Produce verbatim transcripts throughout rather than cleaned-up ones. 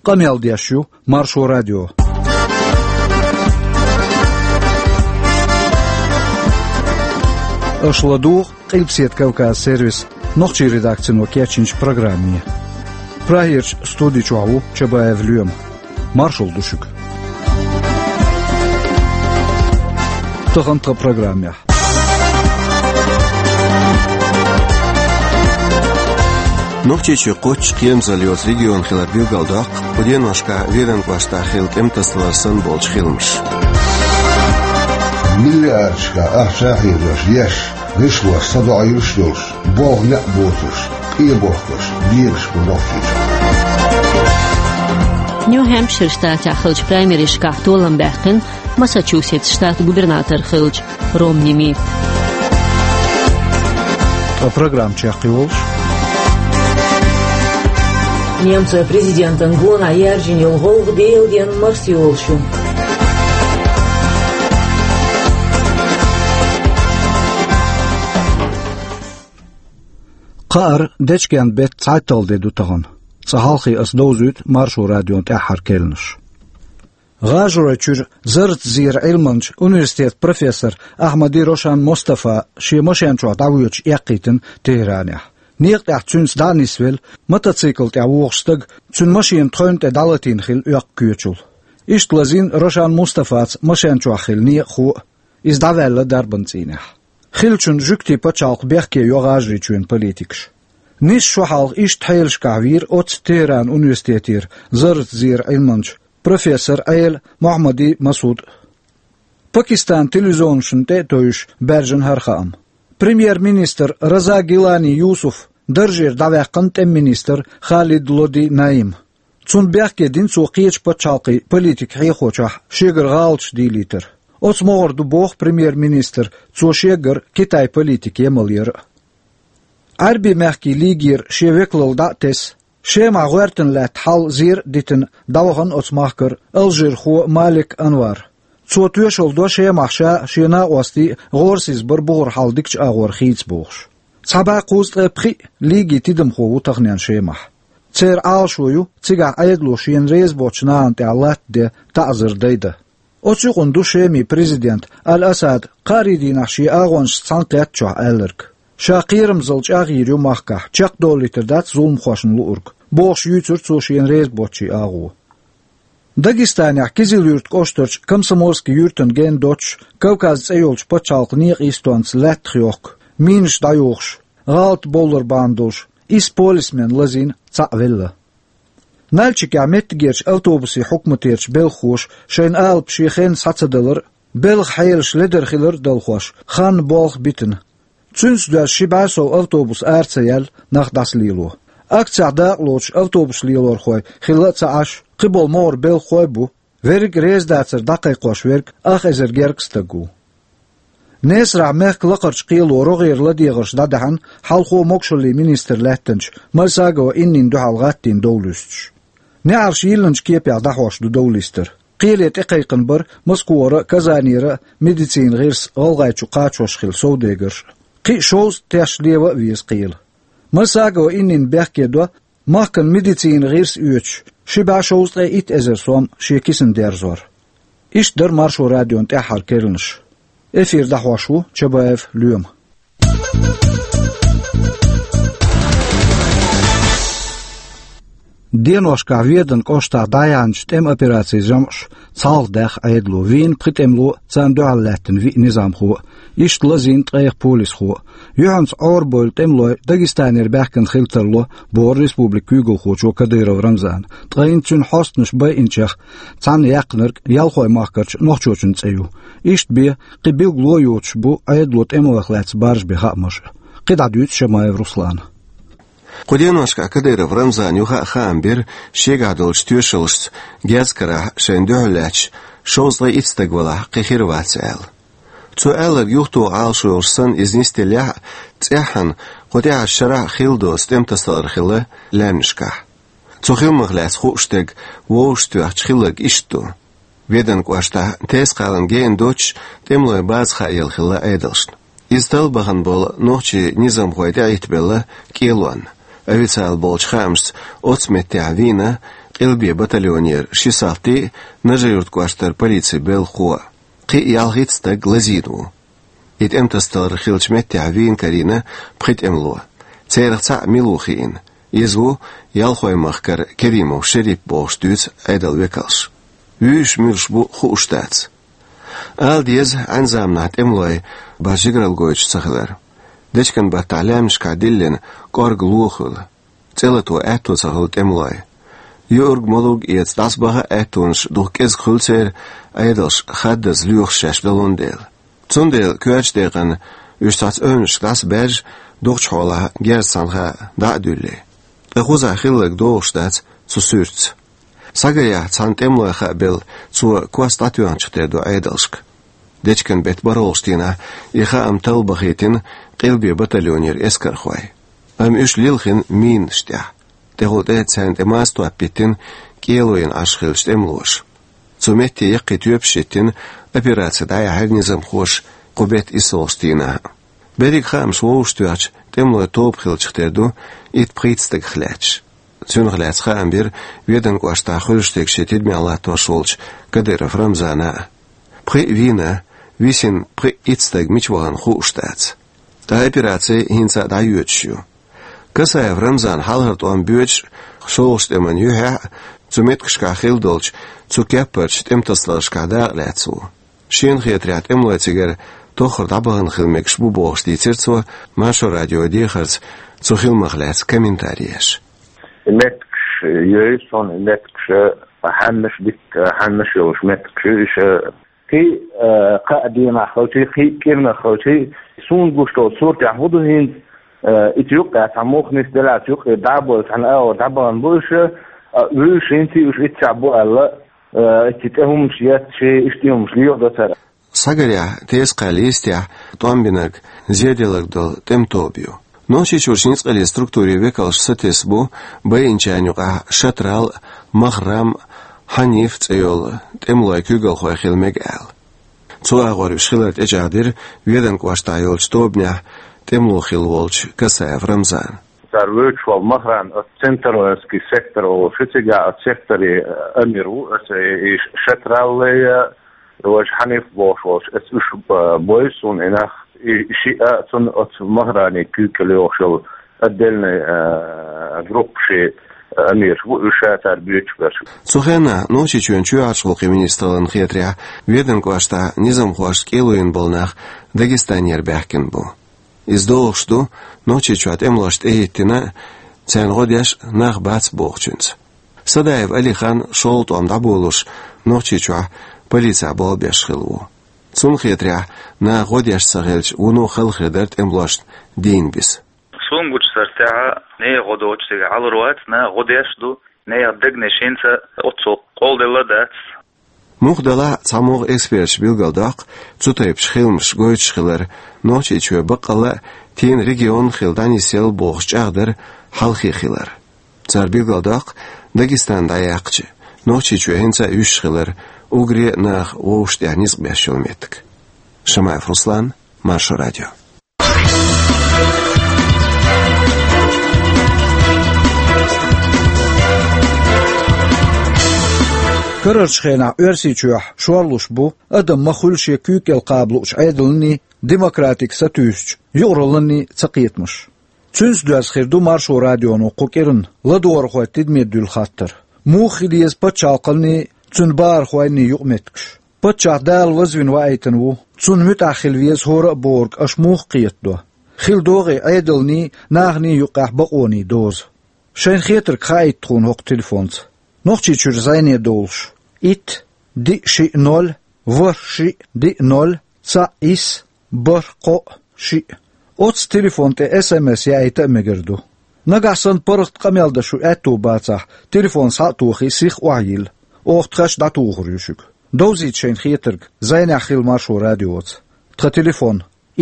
Къамел деш ю Маршо радио. Аша ладугӀу Къилбаседа Кавказ сервисан нохчийн редакцино кечйинчу программе. Прагерчу студи чохь ву Чабаев Лоьма. Маршалла ду шуьга. Тахана тхан программехь. Нохчийчоь кхоччуш кхерамзалла йоцу регион хилар билгалдоккху кху деношкахь Веданан кӀоштахь хилла тӀематасалар санна болчу хиламаша. Миллиардашкахь ахча хьийзош еш, гӀишлош садоӀуьйтуш йолуш, болх некъ боцурш, къе бохкуш, дегаш бу Нохчийчохь. Нью-Хэмпшир штатехь хиллачу праймеризашкахь толам баьккхина Массачусетс штатан губернатор хиллачу Ромни Митта. Ткъа программа чекхйолуш. Немцойн президентан гонах яьржина йолу гӀуллакх Делан денна марсайолуш ю. Кхааран дечкен беттан цхьайтталгӀа де ду тахана. Цкъа хьалхе аса довзуьйту Маршо радион тӀаьххьара керланаш. ГӀажаройчуьра зарратан зеран Ӏилманча университетан профессор Ахьмади Рошан Мустафа шен машен чохь дӀавоьдуш эккхийтина Тегеранехь. Некъа тӀехь цуьнца дӀа а нисвелла, мотоцикл тӀехь вогӀуш стаг цуьнан машенан тхевна тӀе дӀалатийна хилла оьккху коьчул. Иштта лазийна Рошан Мустафаца машен чохь хилла некъахо а, иза дӀаваьлла дарбан цӀийнехь. Хиллачунна жуьгтийн пачхьалкх бехке йо ГӀажарийчоьнан политикаш. Нисса шо хьалха иштта хьелашкахь вийра оццу Тегеран университетера зарратан зеран Ӏилманча, профессор Ӏела Мохьмади Масуд. Пакистанан телевизионашна тӀе а тевжаш баьржина хӀара хаам. Премьер-министр Раза Гилани Юсуф даржера дӀаваьккхина тӀеман министр Халид Лоди Наим. Цунна бехке дина цо кхечу пачхьалкхийн политикан хьехочохь шегара гӀалаташ дийлийтар. Оцу могӀара ду боху премьер-министра цо шегара Китайн политика емал яр а. Ӏаьрбийн мехкийн лигера шен векалалла дӀа а тесна, Шемахь гӀоьртина лаьтта хьал зер а дитина, дӀавахана оцу махкара алжирхо Малик Анвар. Цо тоьшалла до Шемахь ша а, шен накъостий а гӀорасиз бар бухара хьал дикачу агӀор хийца бохуш. Цхьа бӀе кхузткъе пхиъ лигин тидамхо ву таханен Шемахь. Церан Ӏалашо ю, цигахь Ӏедало шена реза боцчу нахана тӀехь латта де таӀзар дайдан. Оцу юкъана ду Шеман президента Аль-Асада кхаарин дийнахь шен агӀончашца цхьаьнакхеттачохь аьлларг. Ша кхерамзалла чӀагӀйийр ю махкахь, чекхдолуьйтур дац зуламхошна луург, бохуш юьйцура цо шена реза боцчийн агӀо. Дагестанехь Кизил-Юрт кӀоштарчу Комсомольски юьртана гена доццуш Кавказ цӀе йолчу пачхьалкхан некъан йистонца лаьттах йохку, минаш дӀайохуш, гӀалат бовлар бахьана долуш, исс полисмен лазийна, цхьаъ велла. Нальчикехь меттигерчу автобусийн хьукматерчу белхахоша шайна алапа шен хенна схьа ца далар а, белхан хьелаш ледара хилар а далхош, хан болх битина. Цуьнца доьзна ши бӀе сов автобус ара ца яьлла, нах дӀасалело. Акцехь дакъалоцуш автобус лелорхой хилла а ца Ӏаш, кхиболу могӀара белхахой а бу, верриг а реза дацар дӀакхайкхош верг ах эзар гергга стаг ву. Несарахь мехкан лакхарчу кхело рогӀера ладегӀарш дӀадаьхьна хьалхо могушаллин министр лаьттинчу Мальсагова Иннина дуьхьал гӀаттийна дов луьстуш. НеӀарш йиллинчу кепехь дӀахьош ду дов листар. Кхеле тӀекхайкхина бара Москвара а, Казанера а медицинан гӀирс ГӀалгӀайчу кхачош хилла совдегарш а. Кхин а шовзткъа теш лева а веза кхела. Мальсагова Иннина бехке до махкана медицинан гӀирс оьцуш, ши бӀе шовзткъе итт эзар сом шен кисана дерзор. Иштта дара Маршо радион тӀаьххьара керланаш. Эфир дӀахьош ву Чабаев Лоьма. Деношкахь Веданан кӀоштахь дӀаяьхьначу тӀеман операцийн жамӀаш цхьалха даьхна Ӏедало, вийна пхи тӀемало, царна дуьхьал лаьттина виъ низамхо, иштта лазийна ткъех полисхо. Юьхьанца Ӏорабевлла тӀемалой Дагестанера баьхкина хила тарло, бохура республикан куьйгалхочо Кадыров Рамзана. Ткъа хӀинца цуьнан хьостанаш байинчех цхьаьна яьккхинарг ялхой махкарчу нохчочун цӀе ю. Иштта бен, кхин билгало йоцуш бу Ӏедало тӀемалойх лаьцна баржабен хаамаш а. КхидӀа дуьйцу Шамаев Руслана. Кху деношкахь Кадыров Рамзана юха а хаам бира шегахь долчу тоьшаллашца Гезгкарахь шайна дуьхьал лаьтташ шовзткъе итт стаг валахь, кхин хир вац аьлла. Цо аьлларг юхатоха Ӏалашо йолуш санна иза нисделлехь а, цӀеххьана кху тӀаьхьарчу шарахь а хилла доцу тӀематасалар хилла лаьмнашкахь. Цу хиламах лаьцна хууш дерг вовшахтоьхча хилларг иштта ду. Веданан кӀоштахь Тес-кхалана гена доццуш тӀемалойн база хааелла хилла Ӏедалшна. Иза талла бахана болу нохчийн низамхой тӀеӀиттабелла кӀелонна. Официалан болчу хаамашца оцу меттехь вийна Къилбе батальонера ши салти а, Нажи-Юрт кӀоштара полицин белхахо а. Кхин а ялхитта стаг лазийна ву. И тӀемтасадалар хиллачу меттехь вийна карийна пхи тӀемало. Царах цхьаъ мила ву хиъна. Иза ву Ялхой-Махкара Керимов Шерип бохуш дуьйцу Ӏедалан векалша. Вуьйш-муьлш бу хууш дац. Ала деза, Ӏаьнан заманахь тӀемалой бац жигаралла гойтуш ца хилар. Дечкен-баттахь лаьмнашкахь диллина кӀорга ло хуьлу. ЦӀе лато аьтто ца хилла тӀемалой. Юург-малург эца дӀасабаха а аьттонаш дукха кӀезиг хуьлу церан, Ӏедалша хаддаза лоьхуш шаьш далун дела. Цундела коьртачу декъана уьш цхьацца ойнашка дӀасабаьржа, дукхачу хьолахь герз цхьанхьа дӀа а дуьллий. Ткъа кхузахь хилларг догӀуш дац цу суьртаца. Схьагарехь, цхьана тӀемалой хаа белла, цо кос дӀатоьхначух тера ду Ӏедалшка. Дечкен-беттан бархӀалгӀачу дийнахь и хаам талла бахийтина Къилбе батальонера эскархой. Амма уьш лилхина минаш тӀехь. ТӀехула тӀе царна тӀе маза топ биттина кӀело йина Ӏаш хиллачу тӀемалоша. Цу метте яккхий тоьпаш хӀиттина, операци дӀаяьхьира низамхоша кху беттан иссалгӀачу дийнахь а. Берриг хаамаш вовшахтоьхча, тӀемалой тоба хиллачух тера ду итт-пхийтта стагах лаьтташ. Цунах лаьцна хаам бира Веданан кӀоштахь хуьлуш дерг шен тидамехь латтош волчу Кадыров Рамзана а. Пхиъ а вийна, висина пхиъ-итт стаг мича вахана хууш дац. Ткъа операци хӀинца а дӀайоьдуш ю. Касаев Рамзана хьалхара тӀом боьдуш а, шолгӀачу тӀеман юьххьехь а, цу меттигашкахь хилла долчу цу кеппарчу тӀемтасадаларшкахь дакъа лаьцна ву. Шена хетарехь, тӀемалой цигара тоххара дӀабахана хила мегаш бу бохуш дийцира цо Маршо радион дехарца цу хиламах лаьцна комментари еш. И меттигаш йой суна, и меттигаш хьаннаш дика, хьаннаш йолуш меттигаш ю иша. Кхин а, кхаа дийнахь хилчий, кхин а кӀирнах хилчий, суна гуш долчу суртехь хӀун ду хӀинца, а, и цу юккъехь цхьа мух нисделлехь, цу юккъе дӀа а бовлуш, цхьана агӀор дӀабахана бу иша, а, вуьйш хӀинца а уьш итт сахь бу аьлла, а, и цу тӀе хӀуманаш етташ, иштта хӀуманаш леха до цара. Схьагарехь, тесакхаьлла йистехь, тӀом бинарг зеделларг долу тӀеман тоба ю. Нохчийчуьра ницкъаллин структурийн векалш сатесна бу байинчарна юкъахь Шатрал а, Махрам а, Хьаниф а цӀе йолу тӀемалойн куьйгалхой хила мега аьлла. Цу агӀор уьш хилар тӀечӀагӀдира Веданан кӀоштахь йолчу тобанехь тӀемало хилла волчу Касаев Рамзана. Цара вуьйцуш волу Махрам оцу Центр-Воинский сектор олуш ю, цигахь оцу секторе амир ву, аса и Шатралле а, важа Хьаниф бохуш волуш, аса уьш, а, бой суна и нах, и шиъ а цунна оцу Махрани куьйгалла йогӀуш йолу отдельный, а, группаши амираш бу уьш, ша цара буьйцуш берш. Цу хенахь Нохчийчоьнан чоьхьарчу гӀуллакхийн министраллина хетарехь, Веданан кӀоштахь низамхошца кӀело йина болу нах Дагестанера баьхкина бу. Иза догӀуш ду Нохчийчохь тӀемалошна тӀехӀиттина а, царна гӀо деш а нах бац бохучуьнца. Садаев Алихан шолгӀа тӀом дӀаболуш Нохчийчохь полицехь болх беш хилла ву. Цунна хетарехь, наха гӀо деш ца хилча, вуно халахир дара тӀемалошна дийна биса. Суна гучу сартехьа, нехан гӀо доцуш цигахь Ӏалур вац, наха гӀо деш а ду, нехан дегнаш хӀинца а оццул къолделла а дац. Муха делахь а, цхьамогӀа эксперташа билгалдоккху цу тайпа хиламаш гойтуш хилар, Нохчийчоь баккъалла а, тӀеман регион хилла дӀанисъелла бохуш чӀагӀдар хьалхе хилар. Цара билгалдоккху Дагестан дӀаяьккхича, Нохчийчоь хӀинца а юьсуш хилар, уггаре а наха вовшахтӀехь ницкъ беш йолу меттиг. Шамаев Руслан, Маршо радио. Карарчу хенахь Оьрсийчохь шорлуш бу адам ма хуьлу шен куьйга кӀел кхаба луучу Ӏедаланний, демократига сатуьйсучу юкъаралланний цакхетамаш. Цуьнца доьзна хир ду Маршо радионо кху кӀиранна ладогӀархойн тидаме дуьллу хаттар. Муха хила еза пачхьалкханний, цуьнан бахархойнний юкъаметтигаш? Паччахь Дала вазвина ваийтина ву, Цунна муьтӀахь хила веза хӀора а бохург аша муха кхетадо? Хила догӀий Ӏедалний, наханий юккъехь бакъоний доза? Шайна хетарг хаийта тхуна хӀокху телефонца. Нохчийчуьра зӀене довлуш: итт, диъ, шиъ, ноль, ворхӀ, шиъ, диъ, ноль, цхьаъ, исс, бархӀ, кхоъ, шиъ. Оццу телефон тӀе СМС яийта а мегар ду. Нагахь санна паргӀат къамел дан шун аьтто бацахь, телефон схьа а тохий, сиха охьайилла. Оха тхаьш дӀатухур ю шуьга. Довзийта шайна хетарг, зӀенехь хила Маршо радиоца. Тхан телефон: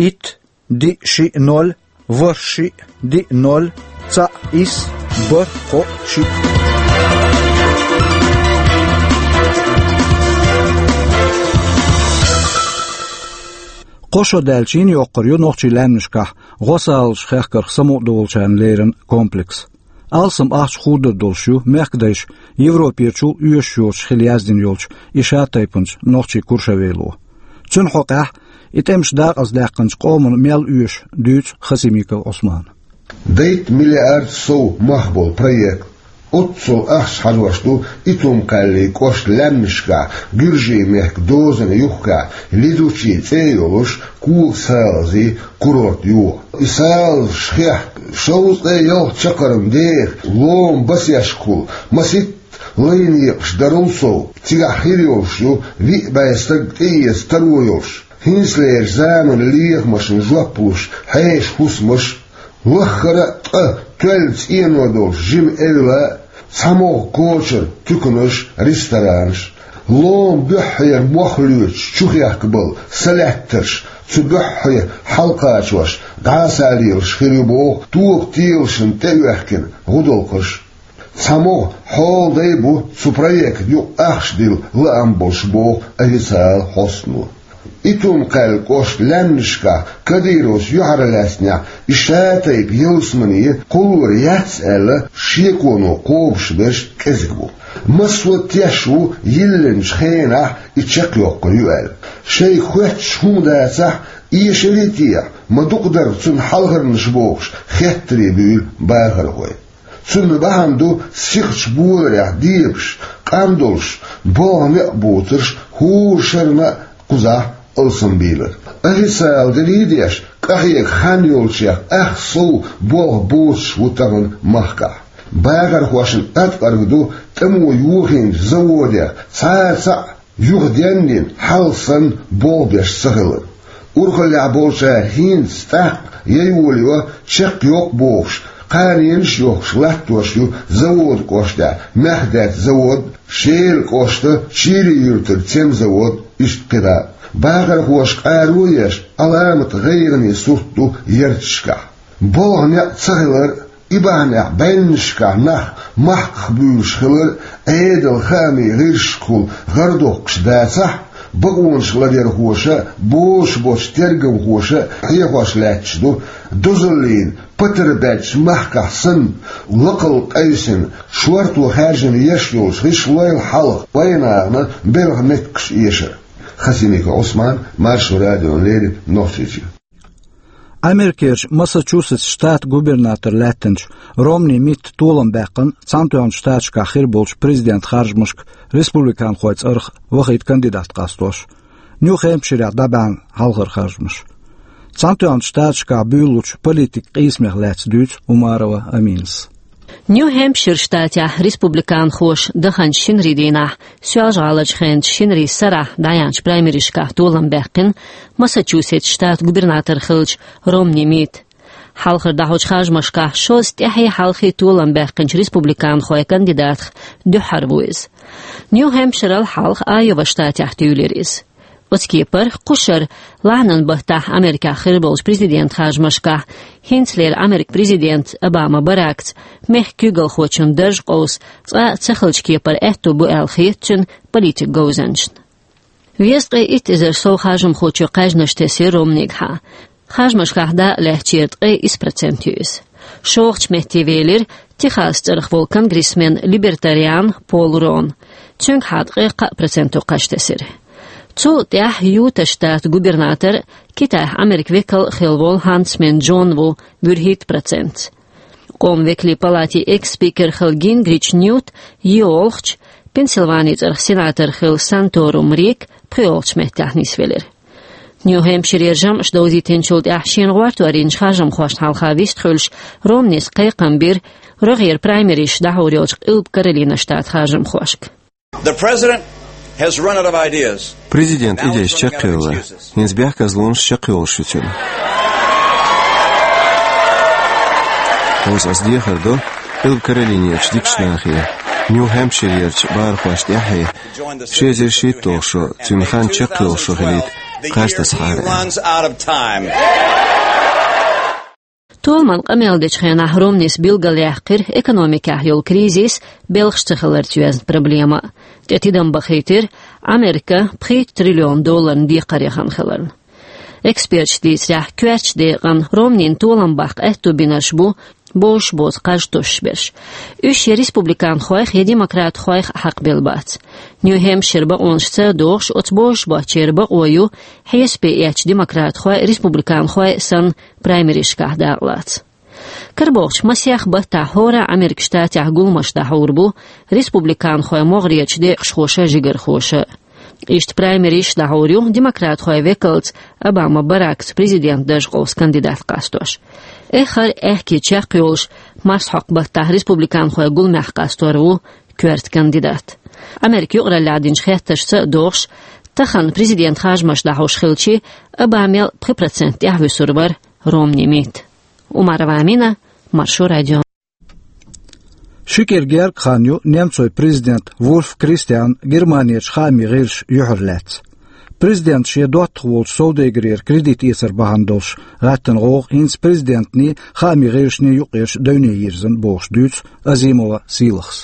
итт, диъ, шиъ, ноль, ворхӀ, шиъ, диъ, ноль, цхьаъ, исс, бархӀ, кхоъ, шиъ. Кхо шо даьлча йина йоккхур ю нохчийн лаьмнашкахь гӀо-салазаш хехкарх самукъадолучарна леррина комплекс. Алсам ахча хурдар долуш ю мехкадайша Европерчул оьшуш йоцуш хила яздина йолчу и шатайпанчу нохчийн Куршавело. Цуьнан хьокъехь и тӀемаш дакъаздаьккхинчу къоман мел оьшу дуьйцу Хасимиков Ӏусмана. Дейтта миллиард сов мах болу проект. Оццул ахча хьажош ду Итум-Кхаьллин кӀоштан лаьмнашкахь, Гуьржийн мехкан дозанна юххехь, Лидучи цӀе а йолуш, кога салазийн курорт йоху. И салазаш хехка шовзткъе ялх чаккхарма деха лома басешкахула, масийтта лайн екъаш дарал сов, цигахь хир йолуш ю виъ бӀе стаг тӀеэца таро йолуш. ХӀинцалерчу заманан лехамашна жоп луш хьеша хӀусамаш, ваххара а ткъа тоьлла цӀено долуш жима эвла, цхьа могӀа кочара туьканаш, ресторанаш. Лома буьххьера мох лоьцуш чухехкабала салаьттарш цу буьххье хьалакхачош дӀасалелаш хир ю боху тоба телашна тӀеоьхкина гӀудалкхаш. Цхьа могӀа хьолдай бу цу проектна юкъа ахча дилла лаам болуш боху официалан хьостано. Итум-Кхаьллин кӀоштан лаьмнашкахь Кадыровс юьхьарлаьцнехь и шатайпа ялсамане кхуллур яц аьлла, шеконо кхобуш берш кӀезиг бу. Массо а теш ву йиллинчу хенахь и чекхйоккхур ю аьлла. Шайга хоьттуш хӀума дацахь, эшаре а техьа, ма дукха дара цунна хьалхарнаш бохуш, хеттаре буьйлу бахархой. Цунна бахьана ду сихачу боларехь дебаш, къам долуш, болх некъ буцурш хӀора шарна а кхузахь алсамбийлар. Официалан дерриг а деш, къахьега хан йолчех ах сов болх боцуш ву тахана махкахь. Бахархошна аткъарг ду тӀамо йохийначу заводех цхьа а цхьаъ юха денна, хьалха санна болх беш ца хилар. Урхаллехь болчара хӀинца тӀаккха яйволайо, чекхйоккху бохуш, кханенаш а йохкуш латтош ю заводан кӀоштехь Мехдаьтта завод, Шелан кӀоштан Чийри-Юьртара цемзавод, иштта кхидӀа а. Бахархоша къаро а еш, Ӏаламат гӀайгӀане сурт ду ярташкахь. Болх некъ ца хилар а, и бахьанехь бӀеннашкахь нах махках буьйлуш хилар а, Ӏедалан хаамийн гӀирсашкахула гӀар доккхуш дацахь, бакъонаш ладерхоша а, бозуш боцу тергамхоша а хьехош лаьтташ ду, дозаллина патар баьддачу махкахь санна, лакхалла къевсина, шорто хаьржина еш йолчу гӀишлойла хьалха вайнахана белхан меттигаш эшар. Хасимиков Ӏусман, Маршо радиона леррина, Нохчийчоь. Америкерчу Массачусетс штатан губернатор лаьттинчу Ромни Митта толам баьккхина Цхьаьнатоьхначу Штаташкахь хир болчу президентан харжамашка республиканхойн цӀарах вахийта кандидат къастош. Нью-Хэмпширехь дӀабаьхьна хьалхара харжамаш. Цхьаьнатоьхначу Штаташкахь буьйлалучу политикан къийсамех лаьцна дуьйцу Умарова Аминас. Нью-Хэмпшир штатехь республиканхоша даханчу шинарийн дийнахь, Соьлжа-ГӀаларчу хенан шинарийн сарахь дӀаяьхьначу праймеризашкахь толам баьккхина Массачусетс штатан губернатор хиллачу Ромни Митта. Хьалхара дӀахьочу харжамашкахь шозза тӀаьхье-хьалхе толам баьккхинчу республиканхойн кандидатех дуьххьара ву иза. Нью-Хэмпширал хьалха Айова штатехь туьйлира иза. Оцу кепара кху шарахь лахьанан баттахь Америкехь хир болчу президентан харжамашкахь хӀинцалера Американ президентан Обама Баракца мехкан куьйгалхочун дарж къовса цкъа а ца хиллачу кепара аьтто бу аьлла хета цуьнан политикан говзанчашна. Везткъе итт эзар сов харжамхочо кхаьжнаш тесира Ромнигахьа. Харжамашкахь дакъа лаьцначеран ткъе исс процент ю иза. ШолгӀачу метте велира Техас цӀарах волу конгрессмен-либертариан Пол Рон. Цуьнгахьа ткъе кхаа проценто кхаж тесира. Цул тӀаьхьа Юта штатан губернатор, Китайхь Американ векал а хилла волу Ханцман Джон ву вуьрхӀитта процентца. Къоман векалийн палатин экс-спикер хилла Гингрич Ньют йолхучу, Пенсильвани цӀарах сенатор хилла Санторум Рик пхоьалгӀачу меттехь нисвелира. Нью-Хэмпширера жамӀаш довзийтинчул тӀаьхьа шена гӀортор йинчу харжамхошна хьалха вистхуьлуш, Ромнис кхайкхам бира рогӀера праймеризаш дӀахьур йолчу Къилба Каролина штатан харжамхошка. The president has run out of ideas. Президентан идейш чекхъевлла. ХӀинца бехказлонаш чекхйолуш ю цуьнан. Хьовса ас дехар до Къилба Каролинерчу дикачу нахе, Нью-Хэмпширерчу бахархошна тӀаьхье, ши эзар шийтталгӀа шо, цуьнан хан чекхйолуш шо хилийта, кхаж тасахьара. Толаман къамел дечу хенахь Ромнис билгалъяьккхира экономикехь йолу кризис, белхаш ца хиларца йоьзна проблема. ТӀе тидам бахийтира Америка пхийтта триллион долларна декхар яхана хиларна. Эксперташа дийцарехь, коьртачу декъана Ромнина толам баккха аьтто бинарш бу бозуш боцу кхаж тосуш берш. Уьш я республиканхойх, я демократхойх хьакхабелла бац. Нью-Хэмпшир бакъонашца догӀуш, оцу бозуш боцчеран бакъо ю хьесапе эцначу демократхойн, республиканхойн санна праймеризашкахь дакъалаца. Карабохучу масех баттахь хӀора а Америкин Штатехь гуламаш дӀахьур бу республиканхойн могӀарерчу декъашхоша, жигархоша. Иштта праймеризаш дӀахьур ю демократхойн векалца, Обама Баракца президентан дарж къовса кандидат къастош. Эххар а аьхке чекхйолуш, марсхьокху баттахь республиканхойн гуламехь къастор ву коьрта кандидат. Америкин юкъараллехь динчу хеттаршца а догӀуш, тахана президентан харжамаш дӀахьош хилча, Обамел пхи процент тӀаьхьа вуьсур вара Ромни Митта. Умарова Амина, Маршо радио. Ши кӀира гергга хан ю немцойн президентан Вульф Кристианан Германерчу хаамийн гӀирсаша юьхьарлаьцна. Президентан шен доттагӀа волчу совдегарера кредит эцар бахьана долуш гӀаьттина гӀовгӀа хӀинца президентаний, хаамийн гӀирсашний юккъерчу девне йирзина, бохуш дуьйцу Азимова Сийлахьас.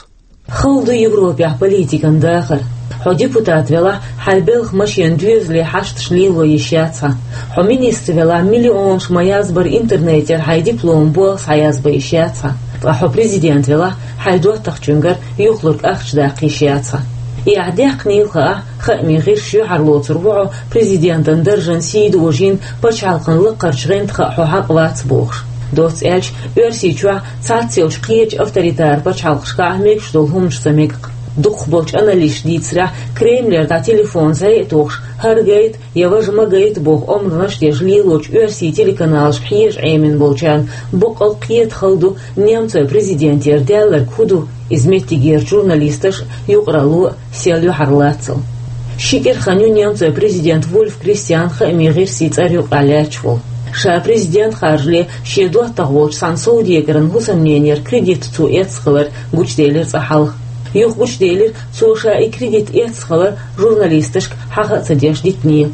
Хала ду Европехь политикан дахар. Хьо депутат велахь, хьайн белхан машенан доьзале хьашташ лело йиш яц хьан. Хьо министр велахь, миллионаш ма-язбара интернетера хьайн дипломан болх схьаязбан йиш яц хьан. Ткъа хьо президент велахь, хьайн доттагӀчуьнгара юхалург ахча даккха йиш яц хьан. И ахь даьккхинийла хаахь, хаамийн гӀирсаша юьхьарлоцур ву хьо президентан даржан сий дожийна, пачхьалкхан лакхарчу гӀанта хаа хьо хьакъ вац бохуш. Доцца аьлча, Оьрсийчохь цхьаццайолчу кхечу авторитар пачхьалкхашкахь мегаш долу хӀуманаш ца мега-кх. Дукхахболчу аналисташа дийцарехь, Кремлера дӀа телефон зӀе а тухуш, хӀара гайта я важа ма гайта боху омранаш деш лелочу оьрсийн телеканалашка хьежа Ӏемина болчарна баккъалла кхета хала ду немцойн президентера даьлларг хӀун ду, иза меттигерчу журналисташа а, юкъаралло а сел юьхьарлацал. Ши кӀира хан ю немцойн президент Вульф Кристиан хаамийн гӀирсийн цӀера юкъахь лаьтташ волу. Ша президент харжале шен доттагӀа волчу цхьана совдегаран хӀусамненера кредит цо эцна хилар гучуделира цкъа хьалха. Юха гучуделира, цо ша и кредит эцна хилар журналисташка хьаха а ца деш дитине.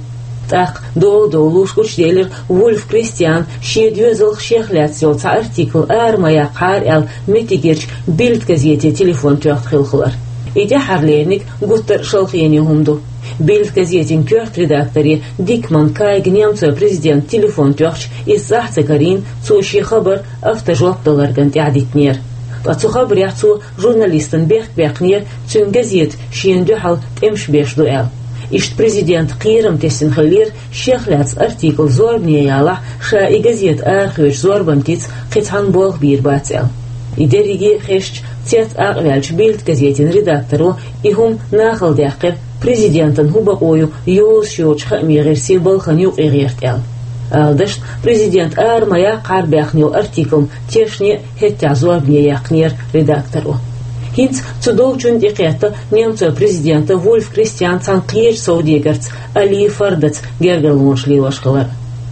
ТӀаккха дола довлуш гучуделира Вульф Кристиан шен доьзалх, шех лаьцна йолу цхьа артикл ара ма яккхахьара аьлла, меттигерчу Бильд газете телефон тоьхна хилла хилар. И тӀаьххьарлерниг гуттар а шалхене хӀума ду. Бильд газетин коьрта редакторе Дикман Кайга немцойн президента телефон тоьхча, иза цӀахь ца карийна, цо шен хабар автожоп даларган тӀаьхьа дитинера. Ткъа цу хабарехь цо журналистан бехк баьккхинера, цуьнан газета шена дуьхьал тӀемаш беш ду аьлла. Иштта президентан кхерам тесна хиллера, шех лаьцна артикл зорбане ялахь, ша и газета арахоьцучу зорбанатица кхин цхьанна болх бийр бац аьлла. И дерриге а хезча, цец акъваьллачу Бильд газетин редакторо и хӀума нахала даьккхира, президентан хӀун бакъо ю йозуш йоцучу хаамийн гӀирсийн балхана юкъа гӀерта аьлла. Ала дашна, президент ара ма яккхахьара баьхна йолу артиклна тешне а хӀеттехь зорбане яьккхинера редакторо. ХӀинца цу долчунна тӀекхетта немцойн президента Вульф Кристиан цхьана кхечу совдегарца, Али Фардаца гергарлонаш лелош хилар.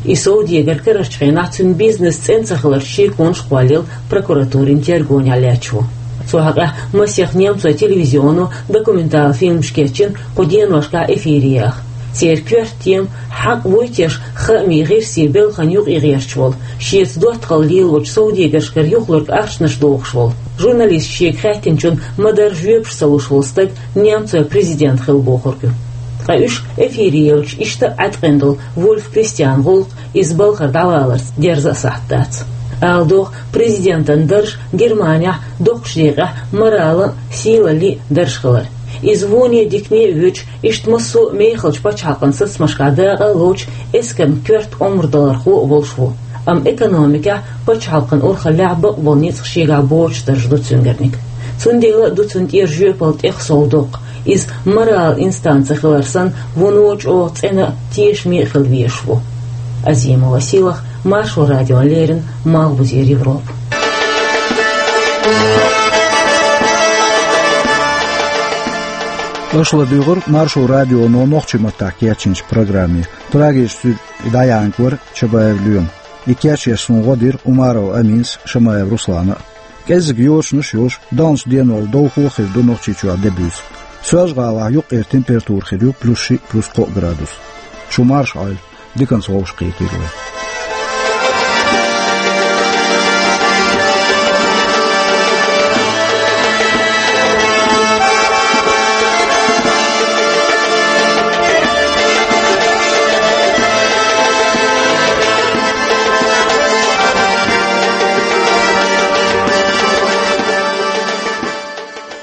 И совдегар карарчу хенахь цуьнан бизнес цӀена ца хиларчу шеконаш кхоллаелла прокуратурин тергонехь лаьтташ ву. Цу хьокъехь масех немцойн телевизионо документалан фильмаш кечйина кху деношкахь эфире яха. Церан коьрта тема: хьакъ вуй теша хаамийн гӀирсийн балхана юкъа гӀерташ волу, шеца доттагӀалла лелочу совдегаршкара юхалург ахчанаш дохуш волу, журналисташа шега хаьттинчунна ма-дарра жоьпаш ца луш волу стаг немцойн президент хила бохург ю. Ткъа уьш эфире елча, иштта а Ӏаткъина долу Вульф Кристиан гӀуллакх иза балхара дӀаваларца дерза а сахьт дац. Ала догӀу, президентан дарж Германехь доккхачу декъехь моралан а, сийлаллин а дарж хилар. Иза воне а, дикане а воьдуш, иштта массо а мехалчу пачхьалкхан сацамашкахь дакъа а лоцуш, эскарна коьрта омра далархо а волуш ву. Амма экономикехь, пачхьалкхан урхаллехь бакъболу ницкъ шегахь боцуш дарж ду цуьнгарниг. Цундела а ду цунна тӀера жоьпалла тӀех сов доккха. Иза моралан инстанци хилар санна, вуно чӀогӀа цӀена а, тешаме а хила везаш ву. Азимова Сийлахь, Маршо радиона леррина, Малхбузера Европа. Аша ладуьйгӀира Маршо радионо нохчийн маттахь кечйинчу программе. Прагерчу стуьдехь дӀаяьхьнарг вара Чабаев Лоьма. И кечъеш суна гӀо дира Умаров Аминас, Шамаев Руслана а. КӀеззиг йочанаш а йолуш, далначу деношкахь довхо а хир ду Нохчийчохь де буьйса. Соьлжа-ГӀалахь юккъера температура хир ю плюс шиъ, плюс кхоъ градус. Шу марша Ӏойла, диканца вовшахкхетийла вай.